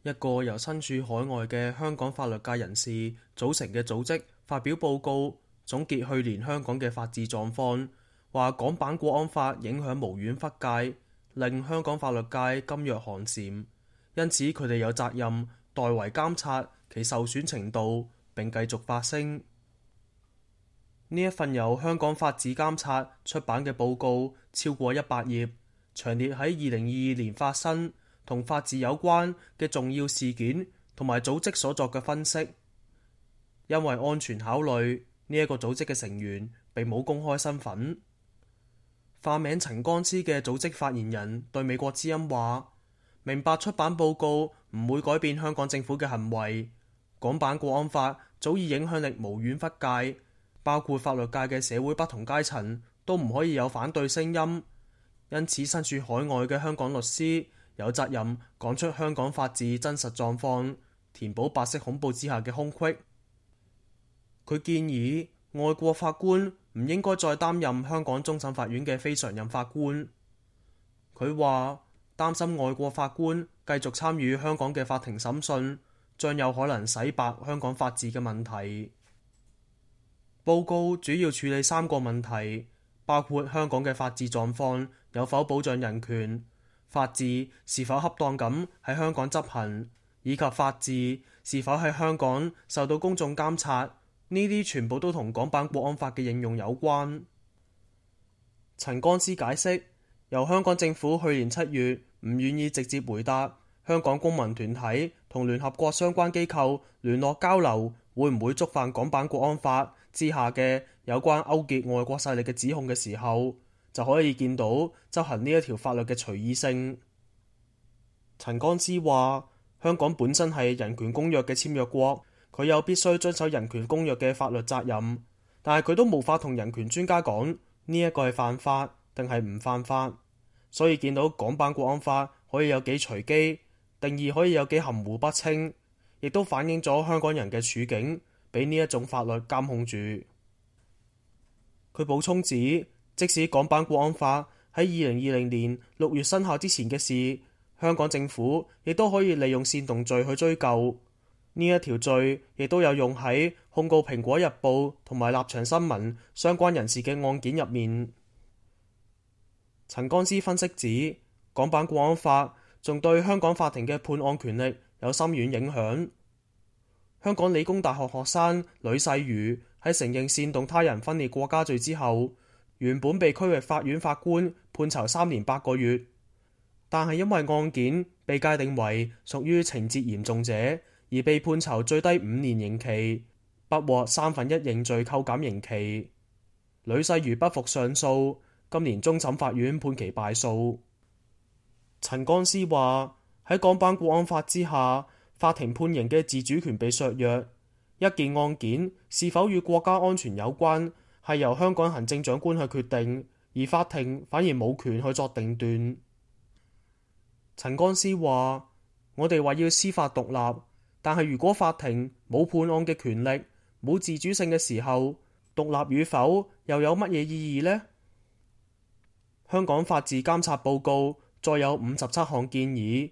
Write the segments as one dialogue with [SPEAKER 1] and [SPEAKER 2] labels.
[SPEAKER 1] 一個由身處海外嘅香港法律界人士組成嘅組織發表報告，總結去年香港嘅法治狀況，話港版國安法影響無遠弗屆，令香港法律界噤若寒蟬，因此佢哋有責任代為監察其受損程度，並繼續發聲。呢一份由香港法治監察出版嘅報告超過100頁，詳列喺2022年發生同法治有關嘅重要事件同埋組織所作嘅分析。因為安全考慮，呢一個組織嘅成員並冇公開身份。化名陳光之嘅組織發言人對美國之音話：明白出版報告唔會改變香港政府嘅行為，港版國安法早已影響力無遠弗屆，包括法律界嘅社會不同階層都唔可以有反對聲音。因此身處海外嘅香港律師有責任講出香港法治真實狀況，填補白色恐怖之下嘅空隙。佢建議外國法官唔應該再擔任香港終審法院嘅非常任法官。佢話擔心外國法官繼續參與香港嘅法庭審訊，將有可能洗白香港法治嘅問題。報告主要處理3個問題，包括香港嘅法治狀況有否保障人權，法治是否恰當咁喺香港執行，以及法治是否喺香港受到公眾監察。呢啲全部都同港版國安法嘅應用有關。陳光之解釋，由香港政府去年7月唔願意直接回答香港公民團體同聯合國相關機構聯絡交流會唔會觸犯港版國安法之下嘅有關勾結外國勢力嘅指控嘅時候，就可以見到執行呢一條法律嘅隨意性。陳光之話，香港本身係人權公約嘅簽約國，佢有必須遵守人權公約嘅法律責任，但係佢都無法同人權專家講呢一個係犯法定係唔犯法，所以見到港版國安法可以有幾隨機，定義可以有幾含糊不清，亦都反映咗香港人嘅處境俾呢一種法律監控住。佢補充指，即使港版國安法喺2020年6月生效之前嘅事，香港政府亦都可以利用煽動罪去追究。呢一條罪亦都有用喺控告蘋果日報同埋立場新聞相關人士嘅案件入面。陳光之分析指，港版國安法仲對香港法庭嘅判案權力有深遠影響。香港理工大學學生呂世瑜喺承認煽動他人分裂國家罪之後，原本被區域法院法官判囚3年8個月，但係因為案件被界定為屬於情節嚴重者，而被判囚最低5年刑期，不獲1/3認罪扣減刑期。呂世瑜不服上訴，今年終審法院判其敗訴。陳光之話，喺港版國安法之下，法庭判刑嘅自主權被削弱，一件案件是否與國家安全有關，係由香港行政長官去決定，而法庭反而冇權去作定斷。陳光之話，我哋話要司法獨立，但係如果法庭冇判案嘅權力，冇自主性嘅時候，獨立與否又有乜嘢意義呢？香港法治監察報告再有57項建議。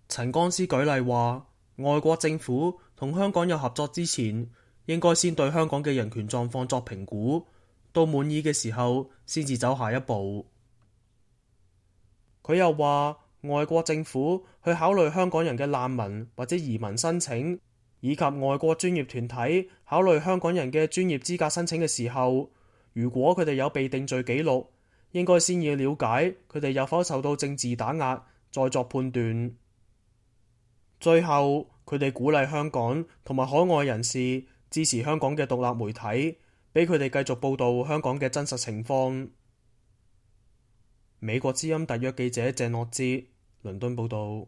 [SPEAKER 1] 陳光之舉例話，外國政府同香港有合作之前，應該先對香港嘅人權狀況作評估，到滿意嘅時候先至走下一步。佢又話，外國政府去考慮香港人嘅難民或者移民申請，以及外國專業團體考慮香港人嘅專業資格申請嘅時候，如果佢哋有被定罪記錄，應該先要了解佢哋有否受到政治打壓，再作判斷。最後，佢哋鼓勵香港同埋海外人士支持香港嘅獨立媒體，俾佢哋繼續報導香港嘅真實情況。美國之音特約記者鄭樂哲，倫敦報導。